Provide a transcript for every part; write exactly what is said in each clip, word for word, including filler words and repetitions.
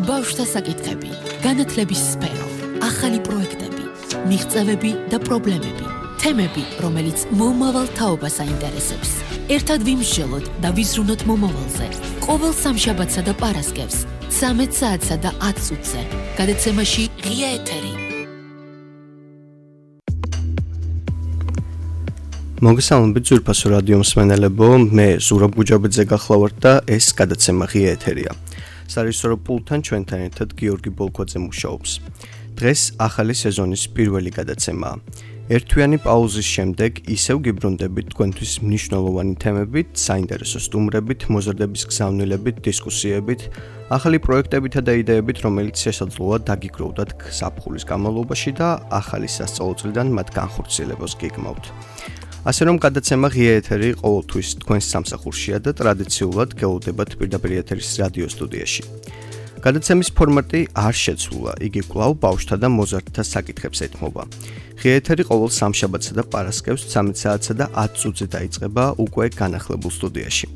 ბავშვთა საკითხები, განათლების სფერო, ახალი პროექტები, მიღწევები და პრობლემები, თემები, რომელიც მომავალ თაობას აინტერესებს. ერთად ვიმსჯელოთ და ვიზრუნოთ მომავალზე. ყოველ სამშაბათსა და პარასკევს, ცამეტ საათსა და ათ წუთზე. გადაცემაში ღია ეთერი. მოგესალმებით ძვირფასო რადიო მსმენელებო, მე ზურაბ გუჯაბიძე გახლავართ და ეს გადაცემა ღია ეთერია. სარისორო პულტთან ჩვენთან ერთად გიორგი ბოლქვაძე მუშაობს. დღეს ახალი სეზონის პირველი გადაცემაა. ერთვიანი პაუზის შემდეგ ისევ გიბრუნდებით თქვენთვის მნიშვნელოვანი თემებით, საინტერესო სტუმრებით, მოზრდების გზავნილებით, დისკუსიებით, ახალი პროექტებითა და იდეებით, რომელიც შესაძლოა დაგიგროვდათ ზაფხულის განმავლობაში და ახალი სასწავლო წლიდან მათ განხორციელებას გიგმავთ. ასე რომ გადაცემა ღია ეთერი ყოველთვის თქვენს სამსახურშია და ტრადიციულად გეულდებათ პირდაპირ ეთერის რადიო სტუდიაში. გადაცემის ფორმატი არ შეცვლა, იგი კვლავ ბავშვთა და მოზარდთა საკითხებს ეთმობა. ღია ეთერი ყოველ სამშაბათსა და პარასკევს ცამეტ საათსა და ათ წუთზე დაიწყება უკვე განახლებულ სტუდიაში.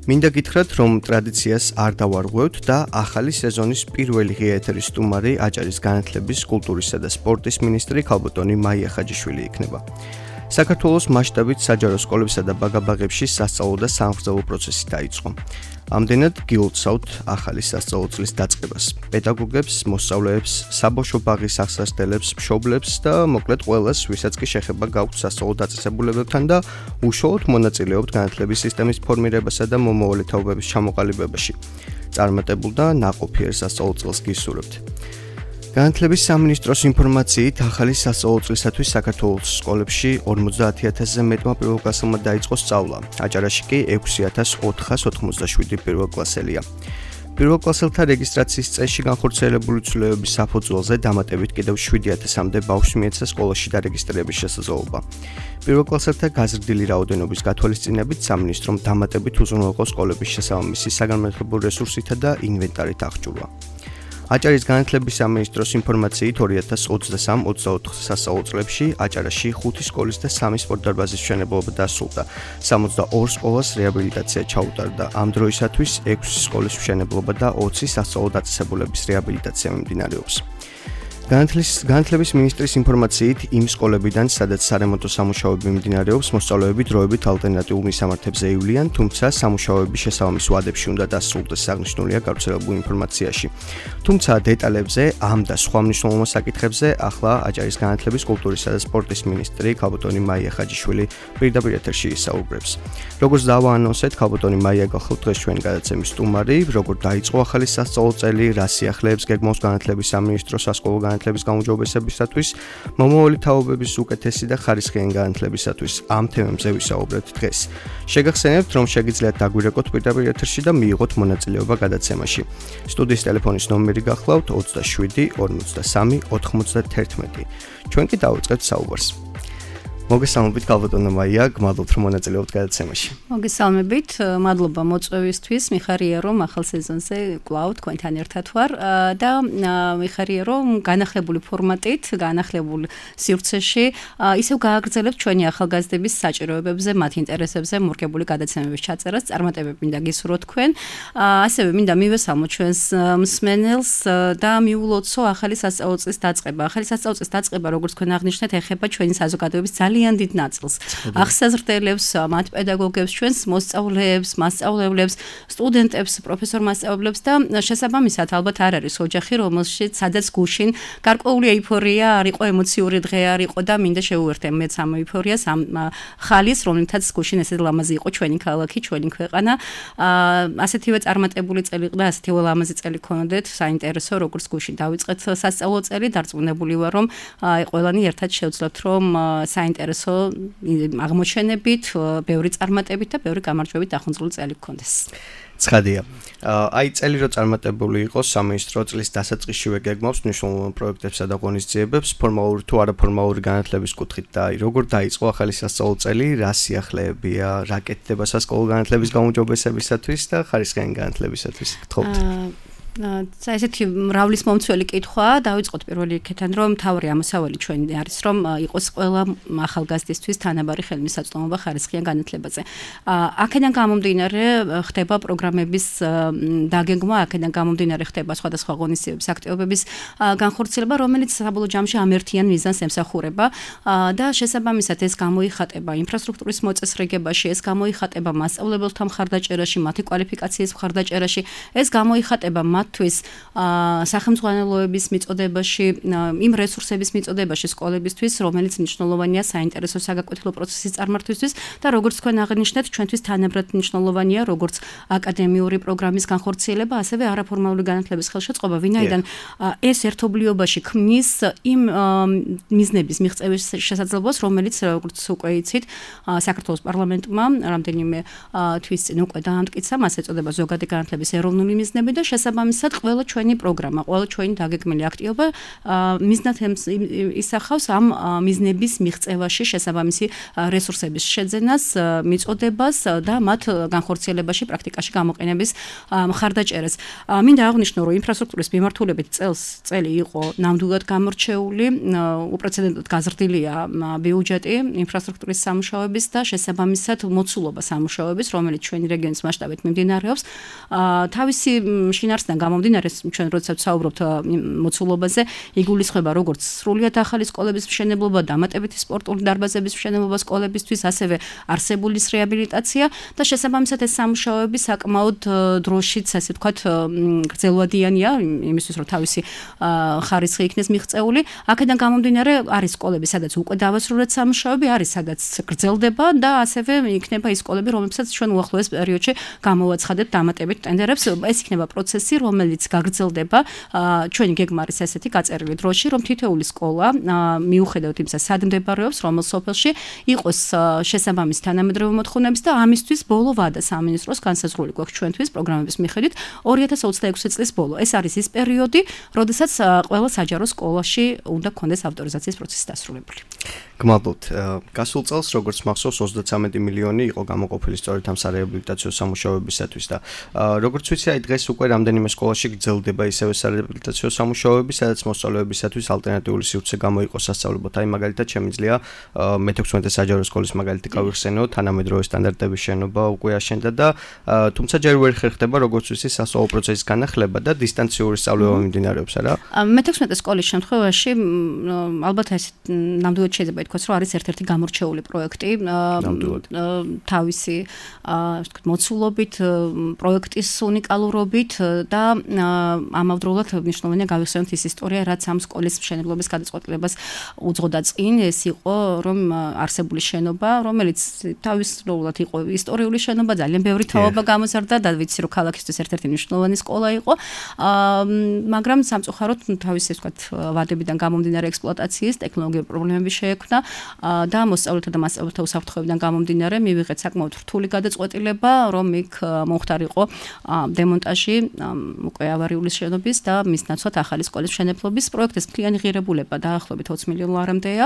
მინდა გითხრათ, რომ ტრადიციას არ დავარღვევთ და ახალი სეზონის პირველი ღია ეთერის სტუმარი აჭარის განათლების, კულტურისა და სპორტის მინისტრი ქალბატონი მაია ხაჯიშვილი იქნება. საქართველოს მასშტაბით საჯარო სკოლებსა და ბაგაბაღებში სასწავლო და სამგზავრო პროცესი დაიწყო. ამდენად გილოცავთ ახალი სასწავლო წლის დაწყებას. პედაგოგებს, მოსწავლეებს, საბავშვო ბაღის აღსასწრელებს, მშობლებს და მოკლედ ყველას, ვისაც კი შეხება გაქვთ სასწავლო დაწესებულებებთან და უშუალოდ მონაწილეობთ განათლების სისტემის ფორმირებასა და მომავალი თაობების ჩამოყალიბებაში. წარმატებულ და ნაყოფიერ სასწავლო წელს გისურვებთ. განათლების სამინისტროს ინფორმაციით, ახალი სასწავლო წლისათვის საქართველოს სკოლებში ორმოცდაათი ათასზე მეტმა პირველკლასელმა დაიწყო სწავლა. აჭარაში კი ექვსი ათას ოთხას ოთხმოცდაშვიდი პირველკლასელია. პირველკლასელთა რეგისტრაციის წესში განხორციელებული ცვლილებების საფუძველზე დამატებით კიდევ შვიდი ათასამდე ბავშვს მიეცა სკოლაში დარეგისტრირების შესაძლებლობა. პირველკლასელთა გაზრდილი რაოდენობის გათვალისწინებით სამინისტრომ დამატებით უზრუნველყო სკოლების შესაბამისი საგანმანათლებლო რესურსითა და ინვენტარით აღჭურვა. აჭარის განათლების სამინისტროს ინფორმაციით ორი ათას ოცდასამ ოცდაოთხ სასწავლო წლებში აჭარაში ხუთი სკოლის და სამი სპორტდარბაზის მშენებლობა დასრულდა. სამოცდაორ სკოლას რეაბილიტაცია ჩაუტარდა. ამ დროისათვის ექვსი სკოლის მშენებლობა და ოცი სასწავლო დაწესებულების რეაბილიტაცია მიმდინარეობს. განათლების მინისტრის ინფორმაციით, იმ სკოლებიდან, სადაც სარემონტო სამუშაოები მიმდინარეობს, მოსწავლეები დროებით ალტერნატიულ მისამართებზე ივლიან, თუმცა სამუშაოები შესაბამის ვადებში უნდა დასრულდეს, აღნიშნულია გავრცელებულ ინფორმაციაში. თუმცა დეტალებზე, ამ და სხვა მნიშვნელოვან საკითხებზე ახლა აჭარის განათლების, კულტურისა და სპორტის მინისტრი ქალბატონი მაია ხაჯიშვილი პირდაპირ ეთერში ისაუბრებს. როგორც დავაანონსეთ, ქალბატონი მაია გახლავთ დღეს ჩვენი გადაცემის სტუმარი, როგორ დაიწყო ახალი სასწავლო წელი, რა სიახლეებს გეგმავს განათლების სამინისტრო სასკოლო განათლების გაუმჯობესებისათვის, მომავალი თაობების უკეთესი და ხარისხიანი განათლებისათვის. ამ თემებზე ვისაუბრებთ დღეს. შეგახსენებთ, რომ შეგიძლიათ დაგვირეკოთ პირდაპირ ეთერში და მიიღოთ მონაწილეობა გადაცემაში. სტუდიის ტელეფონის ნომერი გახლავთ ოცდაშვიდი ორმოცდასამი ოთხმოცდათერთმეტი. ჩვენ კი დავიწყებთ საუბარს. მოგესალმებით ქალბატონო მაია, გმადლობთ რომ მონაწილეობთ გადაცემაში. მოგესალმებით, მადლობა მოწვევისთვის, მიხარია რომ ახალ სეზონზე კვლავ თქვენთან ერთად ვარ და მიხარია რომ განახლებული ფორმატით, განახლებულ სივრცეში ისევ გააგრძელებთ ჩვენი ახალგაზრდების საჭიროებებზე, მათ ინტერესებზე მორგებული გადაცემების ჩაწერას, წარმატებები მინდა გისურვოთ თქვენ. ასევე მინდა მივესალმოთ ჩვენს მსმენელს და მიულოცო ახალი სასწავლო წლის დაწყება. ახალი სასწავლო წლის დაწყება, როგორც თქვენ აღნიშნეთ, ეხება ჩვენი საზოგადოების ძალიან დიდ ნაწილს. აღსაზრდელებს, მათ პედაგოგებს, ჩვენს მოსწავლეებს, მასწავლებლებს, სტუდენტებს, პროფესორ-მასწავლებლებს და შესაბამისად ალბათ არ არის ოჯახი, რომელშიც სადაც გუშინ გარკვეული ეიფორია არ იყო, ემოციური დღე არ იყო და მინდა შევუერთდე მეც ამ ეიფორიას, ამ ხალის, რომლითაც გუშინ ესე ლამაზი იყო ჩვენი ქალაქი, ჩვენი ქვეყანა. ასეთივე წარმატებული წელი ყდა, ასეთივე ლამაზი წელი გქონდეთ, საინტერესო, როგორც გუშინ დავიწყეთ სასწავლო წელი, დარწმუნებული ვარ, რომ ყველანი ერთად შევძლებთ, რომ საინტერესო აღმოჩენებით, ბევრი წარმატებით და ბევრი გამარჯვებით დახუნწული წელი გქონდეს. ცხადია. აი წელი რო წარმატებული იყოს, სამინისტრო წლის დასაწყისშივე გეგმავს მნიშვნელოვან პროექტებსა და ღონისძიებებს, ფორმალური თუ არაფორმალური განათლების კუთხით და აი როგორ დაიწყო ახალი სასწავლო წელი, რა სიახლეებია, რა კეთდება სასკოლო განათლების გაუმჯობესებისათვის და ხარისხიანი განათლებისათვის, გთხოვთ. ესეთი მრავლის მომცველი კითხვაა. დავიწყოთ პირველი იქიდან, რომ თავი ამოსავალი ჩვენი არის, რომ იყოს ყველა ახალგაზრდისთვის თანაბარი ხელმისაწვდომობა ხარისხიან განათლებაზე. აქედან გამომდინარე ხდება პროგრამების დაგეგმვა, აქედან გამომდინარე ხდება სხვადასხვა ღონისძიებების აქტივობების განხორციელება, რომელიც საბოლოო ჯამში ამ ერთიან მიზანს ემსახურება და შესაბამისად ეს გამოიხატება ინფრასტრუქტურის მოწესრიგებაში, ეს გამოიხატება მასწავლებელთა მხარდაჭერაში, მათი კვალიფიკაციის მხარდაჭერაში, ეს გამოიხატება თვის სახელმძღვანელოების მიწოდებაში, იმ რესურსების მიწოდებაში სკოლებისთვის, რომელიც მნიშვნელოვანია საინტერესო საგაკვეთილო პროცესის წარმართვისთვის და როგორც თქვენ აღნიშნეთ, ჩვენთვის თანაბრად მნიშვნელოვანია როგორც აკადემიური პროგრამის განხორციელება, ასევე არაფორმალური განათლების ხელშეწყობა, ვინაიდან ეს ერთობლიობაში ქმნის იმ მიზნების მიღწევის შესაძლებლობას, რომელიც როგორც უკვე იცით, საქართველოს პარლამენტმა რამდენიმე თვის წინ უკვე დაამტკიცა, მას ეწოდება ზოგადი განათლების ეროვნული მიზნები და შესაბამისად ყველა ჩვენი პროგრამა, ყველა ჩვენი დაგეგმილი აქტივობა მიზნად ისახავს ამ მიზნების მიღწევაში შესაბამისი რესურსების შეძენას, მიწოდებას და მათ განხორციელებაში, პრაქტიკაში გამოყენების მხარდაჭერას. მინდა აღვნიშნო, რომ ინფრასტრუქტურის მიმართულებით წელს წელი იყო ნამდვილად გამორჩეული, უპრეცედენტოდ გაზრდილია ბიუჯეტი ინფრასტრუქტურის სამუშაოების და შესაბამისად მოცულობა სამუშაოების, რომელიც ჩვენი რეგიონის მასშტაბით მიმდინარეობს. თავისი შინაარსიდან გამომდინარე, ჩვენ როდესაც საუბრობთ მოცულობაზე, იგულისხმება როგორც სრულიად ახალი სკოლების მშენებლობა, დამატებითი სპორტული დარბაზების მშენებლობა სკოლებისთვის, ასევე არსებულის რეაბილიტაცია და შესაბამისად ეს სამუშაოები საკმაოდ დროშიც, ასე ვთქვათ, გრძელვადიანია, იმისთვის რომ თავისი ხარისხი იქნეს მიღწეული. აქედან გამომდინარე, არის სკოლები, სადაც უკვე დავასრულეთ სამუშაოები, არის სადაც გრძელდება და ასევე იქნება ის სკოლები, რომლებსაც ჩვენ უახლოეს პერიოდში გამოვაცხადებთ დამატებით ტენდერებს. ეს იქნება პროცესი, რომელიც გაგრძელდება. ჩვენი გეგმა არის ესეთი გაწერილი დროში, რომ თითოეული სკოლა, მიუხედავად იმისა, სად მდებარეობს, რომელ სოფელში, იყოს შესაბამისი თანამედროვე მოთხოვნების და ამისთვის ბოლო ვადა სამინისტროს განსაზღვრული გვაქვს ჩვენთვის პროგრამების მიხედვით ორი ათას ოცდაექვსი წლის ბოლო. ეს არის ის პერიოდი, როდესაც ყველა საჯარო სკოლაში უნდა გქონდეს ავტორიზაციის პროცესი დასრულებული. გმადლობთ. გასულ წელს, როგორც მახსოვს, ოცდაცამეტი მილიონი იყო გამოყოფილი სწორედ ამ სარეაბილიტაციო სამუშაოებისათვის და როგორც ვიცი, აი დღეს უკვე რამდენიმე სკოლაში გრძელდება ისევე სარეაბილიტაციო სამუშაოები, სადაც მოსწავლეებისათვის ალტერნატიული სივრცე გამოიყო სასწავლებლად. აი მაგალითად შემიძლია მეთექვსმეტე საჯარო სკოლის მაგალითი გავიხსენო, თანამედროვე სტანდარტების შენობა უკვე აშენდა და თუმცა ჯერ ვერ ხერხდება, როგორც ვიცი, სასწავლო პროცესის განახლება და დისტანციური სწავლება მიმდინარეობს, არა? მეთექვსმეტე სკოლის შემთხვევაში ალბათ ეს ნამდვილად შეიძლება ითქვას, რომ არის ერთ-ერთი გამორჩეული პროექტი თავისი მოცულობით, პროექტის უნიკალურობით და ამავდროულად მნიშვნელოვანია გავიხსენოთ ის ისტორია, რაც ამ სკოლის მშენებლობის გადაწყვეტილებას უძღოდა წინ. ეს იყო, რომ არსებული შენობა, რომელიც თავისუფლად იყო ისტორიული შენობა, ძალიან ბევრი თაობა გამოზარდა და ვიცი, რომ ქალაქისთვის ერთ-ერთი მნიშვნელოვანი სკოლა იყო, მაგრამ სამწუხაროდ თავისი, ასე ვთქვათ, ვადებიდან გამომდინარე ექსპლუატაციის, ტექნოლოგიური პრობლემები შეექმნა და მოსწავლეთა და მასწავლებელთა უსაფრთხოებიდან გამომდინარე მივიღეთ საკმაოდ რთული გადაწყვეტილება, რომ იქ მომხდარიყო დემონტაჟი უკვე ავარიული შენობის და მის ნაცვლად ახალი სკოლის მშენებლობის პროექტის მთლიანი ღირებულება დაახლოებით ოცი მილიონი ლარამდეა.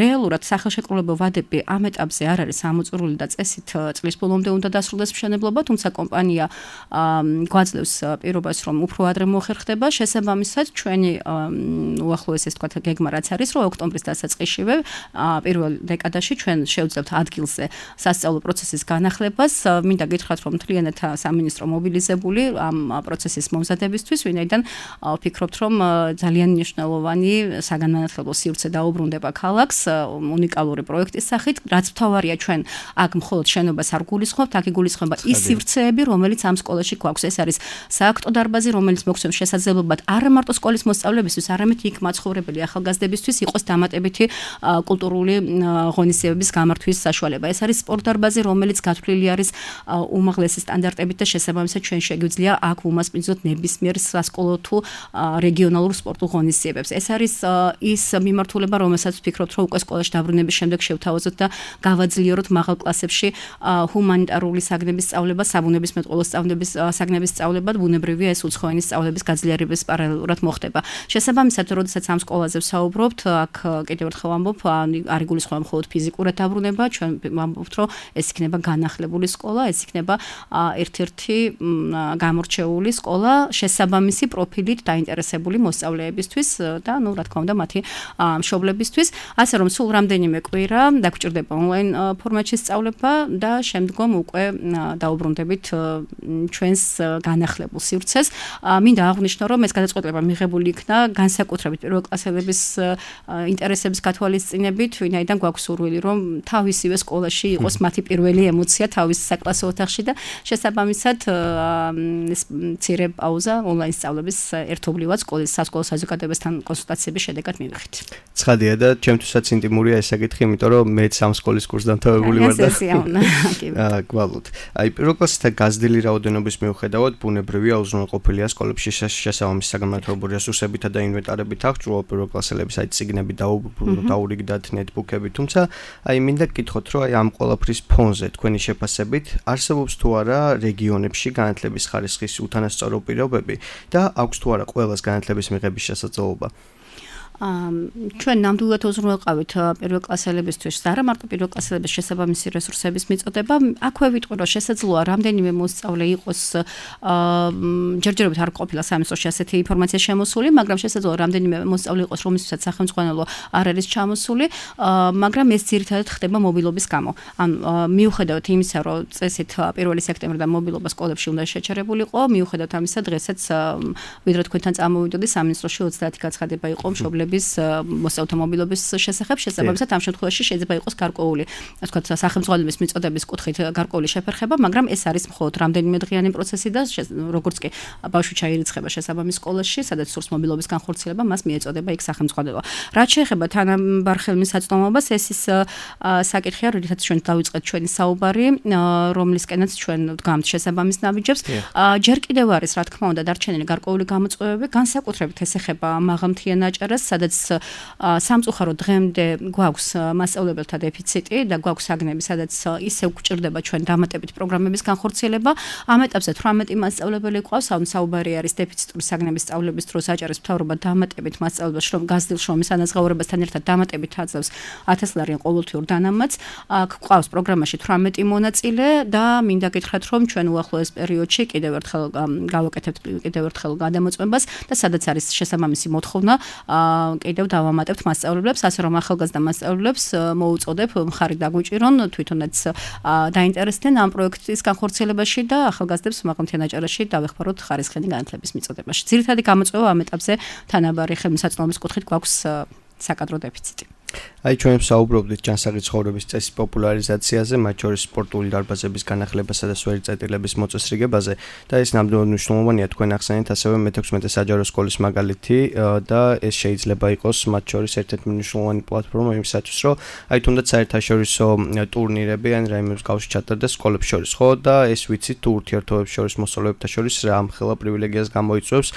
რეალურად სახელშეკრულებო ვადები ამ ეტაპზე არ არის ამოწურული და წესით წლის ბოლომდე უნდა დასრულდეს მშენებლობა, თუმცა კომპანია გვაძლევს პირობას, რომ უფრო ადრე მოხერხდება. შესაბამისად, ჩვენი უახლოეს, ეს თქვა, გეგმა რაც არის, რომ ოქტომბრის დასაწყისშივე პირველ დეკადაში ჩვენ შევძლებთ ადგილზე სასწავლო პროცესის განახლებას. მინდა გითხრათ, რომ მთლიანად სამინისტრო მობილიზებული ამ პროცესის მომზადებისთვის, ვინაიდან ვფიქრობთ, რომ ძალიან მნიშვნელოვანი საგანმანათლებლო სივრცე დაუბრუნდება ქალაქს უნიკალური პროექტის სახით, რაც მთავარია ჩვენ აქ მხოლოდ შენობას არ გულისხმობთ, აქ იგულისხმება ის სივრცეები, რომელიც ამ სკოლაში გვაქვს. ეს არის სააქტო დარბაზი, რომელიც მოგცემს შესაძლებლობად არა მარტო სკოლის მოსწავლეებისთვის, არამედ იქ მაცხოვრებელი ახალგაზრდებისთვის იყოს დამატებითი კულტურული ღონისძიებების გამართვის საშუალება. ეს არის სპორტ დარბაზი, რომელიც გათვლილი არის უმაღლესი სტანდარტებით და შესაბამისად ჩვენ შეგვიძლია აქ უმასპინძლოთ ნებისმიერ სასკოლო თუ რეგიონალურ სპორტულ ღონისძიებებს. ეს არის ის მიმართულება, რომელსაც ვფიქრობთ, რომ უკვე სკოლაში დაბრუნების შემდეგ შევთავაზოთ და გავაძლიეროთ მაღალ კლასებში ჰუმანიტარული საგნების სწავლება, საბუნებისმეტყველო სწავლების საგნების სწავლება, ბუნებრივია ეს უცხოენის სწავლების გაძლიერების პარალელურად მოხდება. შესაბამისად, როდესაც ამ სკოლაზე ვსაუბრობთ, აქ კიდევ ერთხელ ვამბობ, არ იგულისხმება მხოლოდ ფიზიკურად დაბრუნება, ჩვენ ვამბობთ, რომ ეს იქნება განახლებული სკოლა, ეს იქნება ერთ-ერთი გამორჩეული სკოლა შესაბამისი პროფილით დაინტერესებული მოსწავლეებისთვის და ნუ რა თქმა უნდა მათი მშობლებისთვის, ასე რომ სულ რამდენიმე კვირა დაგჭირდება ონლაინ ფორმატში სწავლება და შემდგომ უკვე დაუბრუნდებით ჩვენს განახლებულ სივრცეს. მინდა აღვნიშნო, რომ ეს გადაწყვეტილება მიღებული იქნა განსაკუთრებით პირველკლასელების ინტერესების გათვალისწინებით, ვინაიდან გვაქვს სურვილი, რომ თავისივე სკოლაში იყოს მათი პირველი ემოცია თავის საკლასო ოთახში და შესაბამისად ეს მცირე პაუზა ონლაინ სწავლების ერთობლივად სკოლის სასკოლო საზოგადოებასთან კონსულტაციების შედეგად მივიღეთ. ცხადია და ჩემთვისაც ინტიმურია ეს საკითხი, იმიტომ რომ მეც ამ სკოლის კურსს დამთავრებული ვარ და აა გვალოთ. აი პირველ კლასთან გაზრდილი რაოდენობის მიუხედავად ბუნებრივია უზრუნველყოფილია სკოლებში შესაბამისი საგანმანათლებლო რესურსებითა და ინვენტარებით აღჭურვა პირველკლასელების აი წიგნები დაურიგდათ ნეტბუქები, თუმცა აი მინდა გკითხოთ, რომ აი ამ ყველაფრის ფონზე თქვენი შეფასებით არსებობს თუ არა რეგიონებში განათლების ხარისხის უთანასწორო პირობები და აქვს თუ არა ყველას განათლების მიღების შესაძლებლობა? ჩვენ ნამდვილად უზრუნველყავით პირველკლასელებისთვის და არა მარტო პირველკლასელების შესაბამისი რესურსების მიწოდება. აქვე ვიტყვი, რომ შესაძლოა რამდენიმე მოსწავლე იყოს ჯერჯერობით არ ყოფილა სამინისტროში ასეთი ინფორმაცია შემოსული, მაგრამ შესაძლოა რამდენიმე მოსწავლე იყოს, რომლისთვისაც სახელმწიფო არ არის ჩამოსული, მაგრამ ეს ძირითადად ხდება მობილობის გამო. ან მიუხედავად იმისა, რომ წესით პირველი სექტემბრიდან მობილობა სკოლებში უნდა შეჩერებულიყო, მიუხედავად ამისა, დღესაც ვიდრე თქვენთან წამოვიდოდი სამინისტროში ოცდაათი გაცხადება იყო მშობლების მოსწავლეთა მობილობის შესახებ, შესაბამისად ამ შემთხვევაში შეიძლება იყოს გარკვეული, ასე ვთქვათ, სახელმწიფოების მიწოდების კუთხით გარკვეული შეფერხება, მაგრამ ეს არის მხოლოდ რამდენიმე დღიანი პროცესი და როგორც კი ბავშვი ჩაირიცხება შესაბამის სკოლაში, სადაც სურს მობილობის განხორციელება, მას მიეწოდება იქ სახელმწიფო. რაც შეეხება თანაბარ ხელმისაწვდომობას, ეს ის საკითხია, როდესაც ჩვენ დავიწყეთ ჩვენი საუბარი, რომლისკენაც ჩვენ ვდგამთ შესაბამის ნაბიჯებს. ჯერ კიდევ არის, რა თქმა უნდა, დარჩენილი გარკვეული გამოწვევები, განსაკუთრებით ეს ეხება მაღალმთიან აჭარას, სადაც სამწუხაროდ დღემდე გვაქვს მასწავლებელთა დეფიციტი და გვაქვს საგნები, სადაც ისევ გვჭირდება ჩვენ დამატებით პროგრამების განხორციელება. ამ ეტაპზე თვრამეტი მასწავლებელი გვყავს, ამ საუბარი არის დეფიციტური საგნების სწავლების დროს აჭარის მთავრობა დამატებით მასწავლებელს შრომ გაზრდილ შრომის ანაზღაურებასთან ერთად დამატებით აძლევს ათას ლარიან ყოველთვიურ დანამატს. გვყავს პროგრამაში თვრამეტი მონაწილე და მინდა გითხრათ, რომ ჩვენ უახლოეს პერიოდში კიდევ ერთხელ გავაკეთებთ კიდევ ერთხელ გადამოწმებას და სადაც არის შესაბამისი მოთხოვნა კიდევ დავამატებთ მასწავლებლებს, ასე რომ ახალგაზრდა მასწავლებლებს მოუწოდებ მხარი დაგვიჭირონ, თვითონაც დაინტერესდნენ ამ პროექტის განხორციელებაში და ახალგაზრდებს მაღალმთიან აჭარაში დავეხმაროთ ხარისხიანი განათლების მიწოდებაში. ძირითადი გამოწვევა ამ ეტაპზე თანაბარი ხელმისაწვდომობის კუთხით გვაქვს საკადრო დეფიციტი. აი ჩვენ ვსაუბრობდით ჯანსაღი ცხოვრების წესის პოპულარიზაციაზე, მათ შორის სპორტული დარბაზების განახლებასა და სვერი წერტილების მოწესრიგებაზე და ეს ნამდვილად მნიშვნელოვანია თქვენ ახსენეთ ასევე მეთექვსმეტე საჯარო სკოლის მაგალითი და ეს შეიძლება იყოს მათ შორის ერთ-ერთი მნიშვნელოვანი პლატფორმა იმისათვის, რომ აი თუნდაც საერთაშორისო ტურნირები ან რაიმე მსგავსი ჩატარდეს სკოლებს შორის, ხო და ეს ვიცით თუ ურთიერთობებს შორის მოსწავლეებთა შორის რა ამხელა პრივილეგიას გამოიწვევს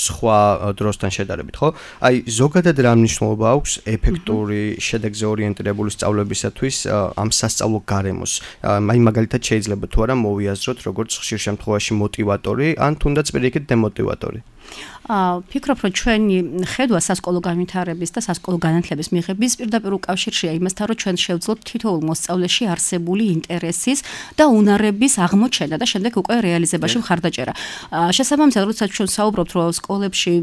სხვა დროსთან შედარებით, ხო? აი ზოგადად რა მნიშვნელობა აქვს ეფექტური შედეგზე ორიენტირებული სწავლებისათვის ამ სასწავლო გარემოს. აი მაგალითად შეიძლება თუ არა მოვიაზროთ როგორც ხშირ შემთხვევაში მოტივატორი ან თუნდაც პირიქით დემოტივატორი. ფიქრობ, რომ ჩვენი ხედვა სასკოლო განვითარების და სასკოლო განათლების მიღების პირდაპირ უკავშირშია იმასთან, რომ ჩვენ შევძლოთ თითოეულ მოსწავლეში არსებული ინტერესის და უნარების აღმოჩენა და შემდეგ უკვე რეალიზებაში მხარდაჭერა. შესაბამისად, როდესაც ჩვენ საუბრობთ, რომ სკოლებში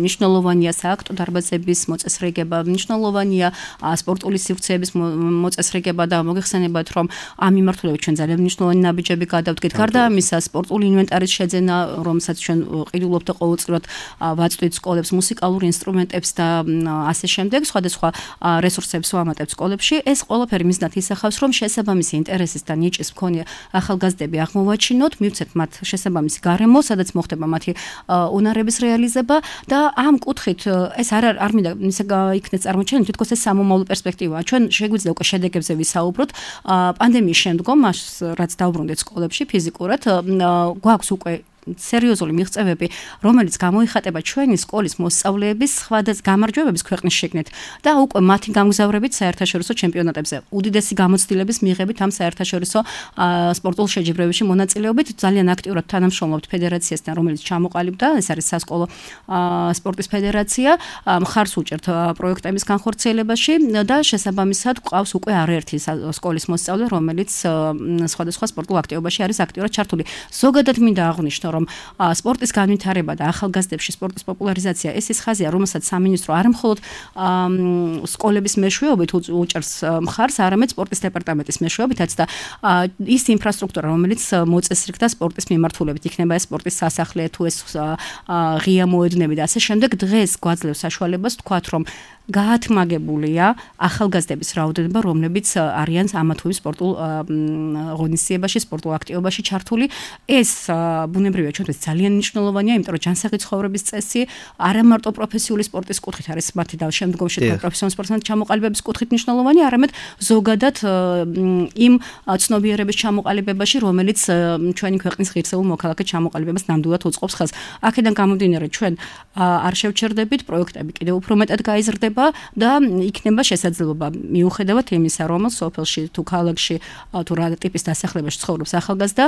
მნიშვნელოვანია სააქტო დარბაზების მოწესრიგება, მნიშვნელოვანია სპორტული სივრცეების მოწესრიგება და მოგეხსენებათ, რომ ამ მიმართულებით ჩვენ ძალიან მნიშვნელოვანი ნაბიჯები გადავდგეთ. გარდა ამისა, სპორტული ინვენტარის შეძენა, რომელსაც ჩვენ ყიდულობთ ყოველწლიურად ვაწვდით სკოლებს მუსიკალურ ინსტრუმენტებს და ასე შემდეგ, სხვადასხვა რესურსებს ვამატებთ სკოლებში. ეს ყველაფერი მიზნად ისახავს, რომ შესაბამისი ინტერესის და ნიჭის მქონე ახალგაზრდები აღმოვაჩინოთ, მივცეთ მათ შესაბამისი გარემო, სადაც მოხდება მათი უნარების რეალიზება და ამ კუთხით ეს არ არ მინდა ისე იქნეს წარმოჩენილი, თითქოს ეს სამომავლო პერსპექტივაა. ჩვენ შეგვიძლია უკვე შედეგებზე ვისაუბროთ. პანდემიის შემდგომ, რაც დაუბრუნდეთ სკოლებში ფიზიკურად, გვაქვს უკვე სერიოზული მიღწევები, რომელიც გამოიხატება ჩვენი სკოლის მოსწავლეების სხვადასხვა გამარჯვებების ქვეყნის შიგნით და უკვე მათი გამგზავრებით საერთაშორისო ჩემპიონატებზე, უდიდესი გამოცდილების მიღებით ამ საერთაშორისო სპორტულ შეჯიბრებებში მონაწილეობით ძალიან აქტიურად თანამშრომლობთ ფედერაციასთან, რომელიც ჩამოყალიბდა, ეს არის სასკოლო სპორტის ფედერაცია, მხარს უჭერთ პროექტების განხორციელებაში და შესაბამისად ყავს უკვე არაერთი სკოლის მოსწავლე, რომელიც სხვადასხვა სპორტულ აქტივობაში არის აქტიურად ჩართული. ზოგადად მინდა აღვნიშნო, რომ სპორტის განვითარება და ახალგაზრდებში სპორტის პოპულარიზაცია ეს ის ხაზია, რომელსაც სამინისტრო არ მხოლოდ სკოლების მეშვეობით უჭერს მხარს, არამედ სპორტის დეპარტამენტის მეშვეობითაც და ის ინფრასტრუქტურა, რომელიც მოწესრიგდა სპორტის მიმართულებით, იქნება ეს სპორტის სასახლე, თუ ეს ღია მოედნები და ასე შემდეგ, დღეს გვაძლევს საშუალებას ვთქვათ, რომ გაათმაგებულია ახალგაზრდების რაოდენობა, რომლებიც არიან ამა თუ იმ სპორტულ ღონისძიებაში, სპორტულ აქტივობაში ჩართული. ეს ბუნებრივია ჩვენთვის ძალიან მნიშვნელოვანია, იმიტომ რომ ჯანსაღი ცხოვრების წესი არა მარტო პროფესიული სპორტის კუთხით არის მათი და შემდგომში პროფესიონალ სპორტსთან ჩამოყალიბების კუთხით მნიშვნელოვანია, არამედ ზოგადად იმ ცნობიერების ჩამოყალიბებაში, რომელიც ჩვენი ქვეყნის ღირსეულ მოქალაქედ ჩამოყალიბებას ნამდვილად უწყობს ხელს. აქედან გამომდინარე, ჩვენ არ შევჩერდებით, პროექტები კიდევ უფრო მეტად გაიზრდება და იქნება შესაძლებლობა მიუხედავად იმისა, რომ სოფელში თუ ქალაქში თუ რა ტიპის დასახლებაში ცხოვრობს ახალგაზრდა,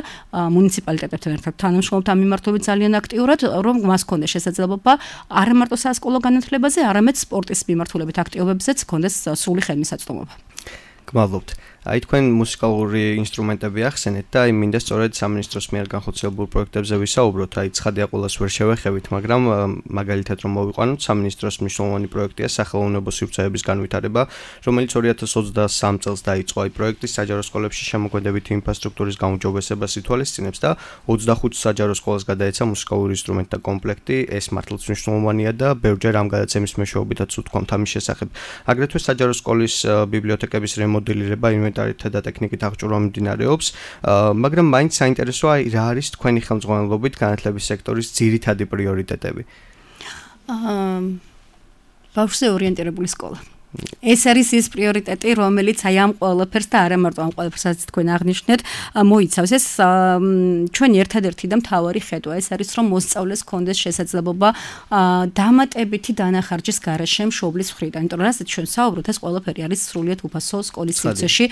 მუნიციპალიტეტებთან ერთად თანამშრომლობთ ამ მიმართულებით ძალიან აქტიურად, რომ მას ჰქონდეს შესაძლებლობა არა მარტო სასკოლო განათლებაზე, არამედ სპორტის მიმართულებით აქტივობებზეც ჰქონდეს სრული ხელმისაწვდომობა. გმადლობთ. აი თქვენ მუსიკალური ინსტრუმენტები ახსენეთ და აი მინდა სწორედ სამინისტროს მიერ განხორციელებულ პროექტებზე ვისაუბროთ. აი ცხადია ყოველას ვერ შევეხებით, მაგრამ მაგალითად რომ მოვიყვანოთ, სამინისტროს მნიშვნელოვანი პროექტია სახელოვნებო სივრცეების განვითარება, რომელიც ორი ათას ოცდასამ წელს დაიწყო. აი პროექტი საჯარო სკოლებში შემოქმედებითი ინფრასტრუქტურის გაუმჯობესებას ითვალისწინებს და ოცდახუთ საჯარო სკოლას გადაეცა მუსიკალური ინსტრუმენტთა კომპლექტი. ეს მართლაც მნიშვნელოვანია და ბევრჯერ ამ გადაცემის მეშვეობითაც ვთქვამთ ამის შესახებ. აგრეთვე საჯარო სკოლის ბიბლიოთეკების რემოდელირება ინვენტარითა და ტექნიკით აღჭურვა მიმდინარეობს, მაგრამ მაინც საინტერესოა რა არის თქვენი ხელმძღვანელობით განათლების სექტორის ძირითადი პრიორიტეტები. ბავშვზე ორიენტირებული სკოლა. ეს არის ის პრიორიტეტი, რომელიც აი ამ ყველაფერს და არა მარტო ამ ყველაფერსაც თქვენ აღნიშნეთ, მოიცავს. ეს ჩვენი ერთადერთი და მთავარი ხედვა ეს არის, რომ მოსწავლეს ჰქონდეს შესაძლებლობა დამატებითი დანახარჯის გარეშე მშობლის მხრიდან. იმიტომ რომ რასაც ჩვენ საუბრობთ, ეს ყველაფერი არის სრულიად უფასო სკოლის სივრცეში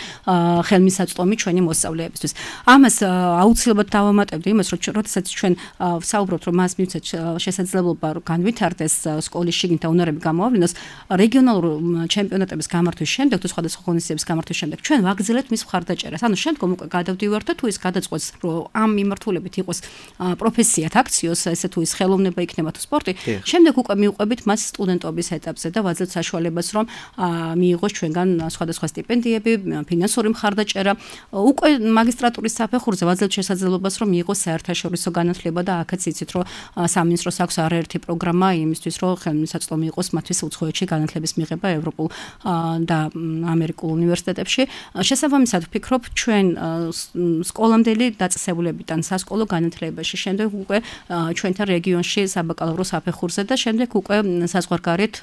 ხელმისაწვდომი ჩვენი მოსწავლეებისთვის. ამას აუცილებლად დავამატებდი იმას, რომ როდესაც ჩვენ საუბრობთ, რომ მას მივცეთ შესაძლებლობა განვითარდეს სკოლის შიგნით და უნარები გამოავლინოს, რეგიონალურ ჩემპიონატების გამართვის შემდეგ თუ სხვადასხვა ღონისძიების გამართვის შემდეგ ჩვენ ვაგრძელებთ მის მხარდაჭერას. ანუ შემდგომ უკვე გადავდივართ და თუ ის გადაწყვეტს, რომ ამ მიმართულებით იყოს პროფესიად აქციოს, ესე თუ ის ხელოვნება იქნება თუ სპორტი, შემდეგ უკვე მივყვებით მას სტუდენტობის ეტაპზე და ვაძლევთ საშუალებას, რომ მიიღოს ჩვენგან სხვადასხვა სტიპენდიები, ფინანსური მხარდაჭერა. უკვე მაგისტრატურის საფეხურზე ვაძლევთ შესაძლებლობას, რომ მიიღოს საერთაშორისო განათლება და აქაც იცით, რომ სამინისტროს აქვს არაერთი პროგრამა იმისთვის, რომ ხელმისაწვდომი იყოს მათთვის უცხოეთში განათლების მიღება ევროპულ და ამერიკულ უნივერსიტეტებში. შესაბამისად ვფიქრობ, ჩვენ სკოლამდელი დაწესებულებიდან სასკოლო განათლებაში, შემდეგ უკვე ჩვენთან რეგიონში საბაკალავრო საფეხურზე და შემდეგ უკვე საზღვარგარეთ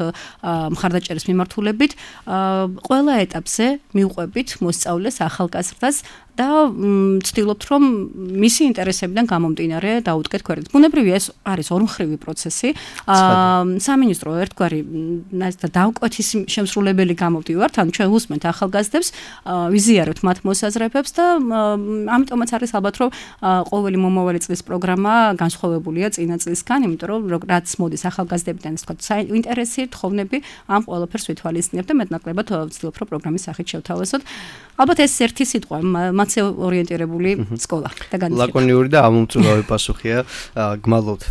მხარდაჭერის მიმართულებით ყველა ეტაპზე მივყვებით მოსწავლეს, ახალგაზრდას და ვცდილობთ, რომ მისი ინტერესებიდან გამომდინარე დაუდგეთ ქვეყნის. ბუნებრივია, ეს არის ორმხრივი პროცესი. სამინისტრო ერთგვარი დავკვეთის შემსრულებელი გამოვდივართ, ანუ ჩვენ უსმენთ ახალგაზრდებს, ვიზიარებთ მათ მოსაზრებებს და ამიტომაც არის ალბათ, რომ ყოველი მომავალი წლის პროგრამა განსხვავებულია წინა წლისგან, იმიტომ რომ რაც მოდის ახალგაზრდებიდან, ეს თქვა ინტერესი, თხოვნები, ამ ყველაფერს ვითვალისწინებთ და მეტნაკლებად ვცდილობთ, რომ პროგრამის სახით შევთავაზოთ. ალბათ ეს ერთი სიტყვა, მათზე ორიენტირებული სკოლა და განათლება. ლაკონიური და ამომწურავი პასუხია, გმადლობთ.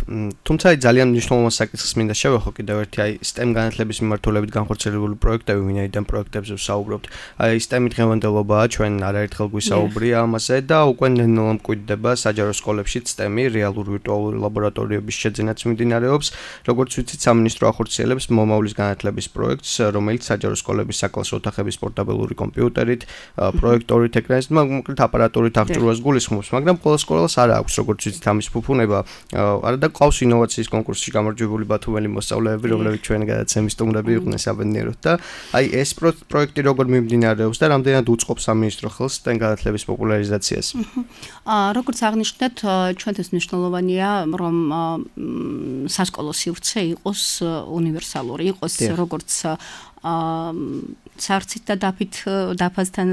თუმცა ძალიან მნიშვნელოვან საკითხს მინდა შევეხო კიდევ ერთი, აი STEM განათლების მიმართულებით განხორციელებული პროექტები, ვინაიდან პროექტებზე ვსაუბრობთ. აი STEM-ი დღევანდელობაა, ჩვენ არაერთხელ გვისაუბრია ამაზე და უკვე ნელ-ნელა მკვიდრდება საჯარო სკოლებშიც STEM-ი რეალური ვირტუალური ლაბორატორიების შეძენაც მიმდინარეობს. როგორც ვიცით, სამინისტრო ახორციელებს მომავლის განათლების პროექტს, რომელიც საჯარო სკოლების საკლასო ოთახების პორტაბელური კომპიუტერით, პროექტორით, ეკრანით, კონკრეტ აპარატურით აღჭურვას გულისხმობს, მაგრამ ყველა სკოლას არ აქვს როგორც ვიცით ამის ფუფუნება. არა და ყავს ინოვაციის კონკურსში გამარჯვებული ბათუმელი მოსწავლეები, რომლებიც ჩვენ გადაცემის სტუმრები იყვნენ საბედნიეროდ და აი ეს პროექტი როგორ მიმდინარეობს და რამდენად უწყობს სამინისტრო ხელს სტენ განათლების პოპულარიზაციას. აა როგორც აღნიშნეთ, ჩვენთვის მნიშვნელოვანია, რომ სასკოლო სივრცე იყოს უნივერსალური, იყოს როგორც აა სარცით და დაფით დაფასთან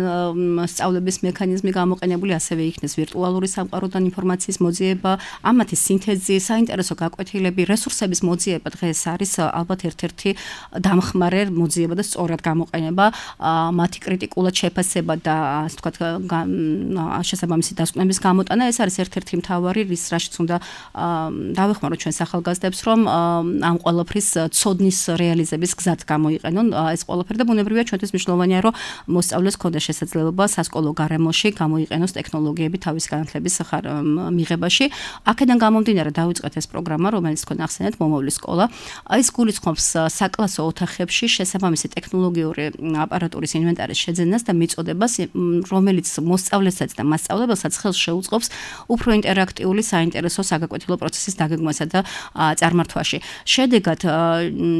სწავლების მექანიზმი გამოყენებული, ასევე იქნეს ვირტუალური სამყაროდან ინფორმაციის მოძიება, ამათი სინთეზი, საინტერესო გაკვეთილები, რესურსების მოძიება დღეს არის ალბათ ერთ-ერთი დამხმარე მოძიება და სწორად გამოყენება, მათი კრიტიკულად შეფასება და ასე ვთქვათ შესაბამისი დასკვნების გამოტანა, ეს არის ერთ-ერთი მთავარი რის რაშიც უნდა დავეხმაროთ ჩვენს ახალგაზრდებს, რომ ამ ყველაფრის ცოდნის რეალიზების გზად გამოიყენონ ეს ყველაფერი და ბუნებრივია ჩვენთვის მნიშვნელოვანია, რომ მოსწავლეს ქონდეს შესაძლებლობა სასკოლო გარემოში გამოიყენოს ტექნოლოგიები თავის განათლების მიღებაში. აქედან გამომდინარე დავიწყეთ ეს პროგრამა, რომელიც თქვენ ახსენეთ, მომავლის სკოლა. ეს გულისხმობს საკლასო ოთახებში შესაბამისი ტექნოლოგიური აპარატურის ინვენტარის შეძენას და მიწოდებას, რომელიც მოსწავლესაც და მასწავლებელსაც ხელს შეუწყობს უფრო ინტერაქტიული, საინტერესო საგაკვეთილო პროცესის დაგეგმვასა და წარმართვაში. შედეგად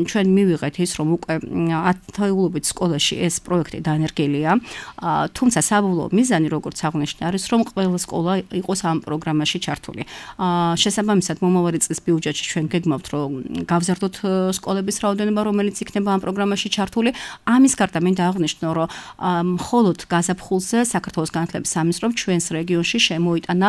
ჩვენ მივიღეთ ის, რომ უკვე ათეულობით სკოლაში ეს პროექტი დანერგილია, თუმცა საბოლოო მიზანი, როგორც აღნიშნე, არის, რომ ყველა სკოლა იყოს ამ პროგრამაში ჩართული. შესაბამისად, მომავალი წლის ბიუჯეტში ჩვენ გეგმავთ, რომ გავზარდოთ სკოლების რაოდენობა, რომელიც იქნება ამ პროგრამაში ჩართული. ამის გარდა მინდა აღნიშნო, რომ მხოლოდ გაზაფხულზე საქართველოს განათლების სამინისტრომ ჩვენს რეგიონში შემოიტანა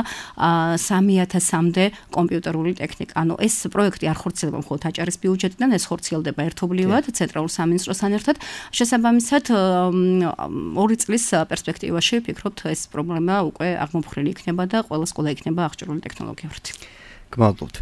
სამი ათასამდე კომპიუტერული ტექნიკა. ანუ ეს პროექტი არ ხორციელდება მხოლოდ აჭარის ბიუჯეტიდან, ეს ხორციელდება ერთობლივად ცენტრალურ სამინისტროსთან ერთად. შესაბამისად, ორი წლის პერსპექტივაში ვფიქრობთ, ეს პრობლემა უკვე აღმოფხვრილი იქნება და ყველა სკოლა იქნება აღჭურვილი ტექნოლოგიებით. გმადლობთ.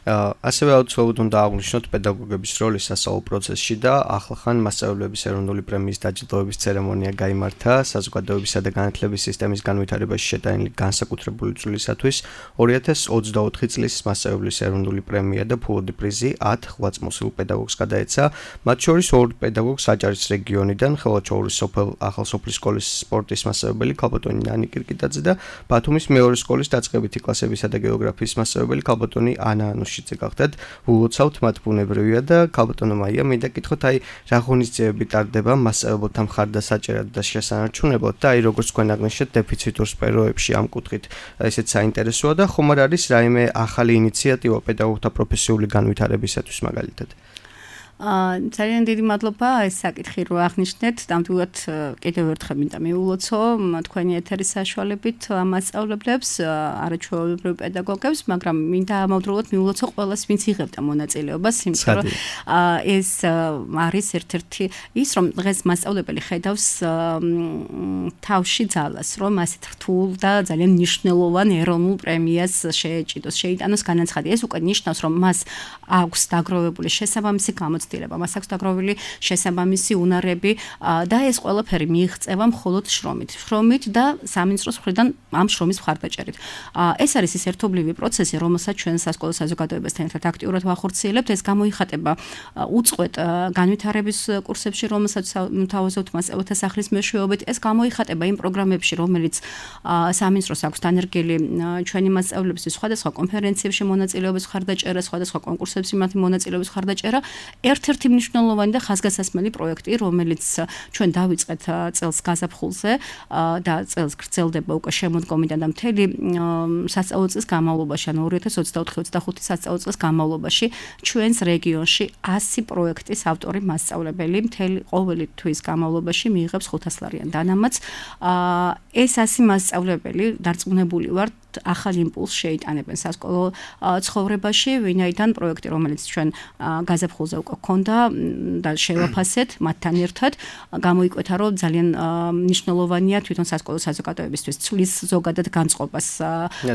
ასევე აუცილებლად უნდა აღვნიშნოთ პედაგოგების როლი სასწავლო პროცესში და ახლახან მასწავლებლების ეროვნული პრემიის დაჯილდოების ცერემონია გაიმართა საზოგადოებისა და განათლების სისტემის განვითარებაში შეტანილი განსაკუთრებული წვლილისათვის ორი ათას ოცდაოთხი წლის მასწავლებლის ეროვნული პრემია და ფულადი პრიზი ათ ღვაწ მოსულ პედაგოგს გადაეცა, მათ შორის ორ პედაგოგს აჭარის რეგიონიდან, ხელვაჩაურის სოფელ ახალსოფლის სკოლის სპორტის მასწავლებელი ქალბატონი ნანი კირკიტაძე და ბათუმის მეორე სკოლის დაწყებითი კლასებისა და გეოგრაფიის მასწავლებელი ქალბატონი ანა ანუში გახდათ. ულოცავთ მათ ბუნებრივია და ქალბატონო მაია, მინდა კითხოთ, აი რა ღონისძიებები ტარდება მასწავლებელთა მხარდასაჭერად და შესანარჩუნებლად და აი როგორც თქვენ აღნიშნეთ დეფიციტურ სფეროებში ამ კუთხით ესეც საინტერესოა და ხომ არ არის რაიმე ახალი ინიციატივა პედაგოგთა პროფესიული განვითარებისათვის მაგალითად? აა ძალიან დიდი მადლობა ეს საკითხი რო აღნიშნეთ, ნამდვილად კიდევ ერთხელ მინდა მიულოცო თქვენი ეთერის საშუალებით მასწავლებლებს, არაჩვეულებრივ პედაგოგებს, მაგრამ მინდა ამავდროულად მიულოცო ყველას, ვინც იღებდა მონაწილეობას, იმიტომ რომ ეს არის ერთ-ერთი ის, რომ დღეს მასწავლებელი ხედავს თავში ძალას, რომ ასეთ რთულ და ძალიან მნიშვნელოვან ეროვნულ პრემიას შეეჭიდოს, შეიტანოს განაცხადი. ეს უკვე ნიშნავს, რომ მას აქვს დაგროვებული შესაბამისი გამოწვევა, მას აქვს დაგროვილი შესაბამისი უნარები და ეს ყველაფერი მიიღწევა მხოლოდ შრომით. შრომით და სამინისტროს მხრიდან ამ შრომის მხარდაჭერით. ეს არის ის ერთობლივი პროცესი, რომელსაც ჩვენ სასკოლო საზოგადოებასთან ერთად აქტიურად ვახორციელებთ. ეს გამოიხატება უწყვეტ განვითარების კურსებში, რომელსაც თავაზობთ მასწავლებლთა სახლის მეშვეობით. ეს გამოიხატება იმ პროგრამებში, რომელიც სამინისტროს აქვს დანერგილი ჩვენი მასწავლებლების სხვადასხვა კონფერენციებში მონაწილეობის მხარდაჭერა, სხვადასხვა კონკურსებში მათი მონაწილეობის მხარდაჭერა. ერთ-ერთი მნიშვნელოვანი და ხაზგასასმელი პროექტი, რომელიც ჩვენ დავიწყეთ წელს გაზაფხულზე და წელს გრძელდება უკვე შემოდგომიდან და მთელი სასწავლო წლის განმავლობაში, ანუ ორი ათას ოცდაოთხი ოცდახუთი სასწავლო წლის განმავლობაში ჩვენს რეგიონში ასი პროექტის ავტორი მასწავლებელი მთელი ყოველი თვის განმავლობაში მიიღებს ხუთასლარიან დანამატს. ეს ასი მასწავლებელი დარწმუნებული ვართ ახალ იმპულსს შეიტანებენ სასკოლო ცხოვრებაში, ვინაიდან პროექტი, რომელიც ჩვენ გაზაფხულზე უკვე გქონდა და შევაფასეთ მათთან ერთად, გამოიკვეთა, რომ ძალიან მნიშვნელოვანია თვითონ სასკოლო საზოგადოებისთვის ცვლის ზოგადად განწყობას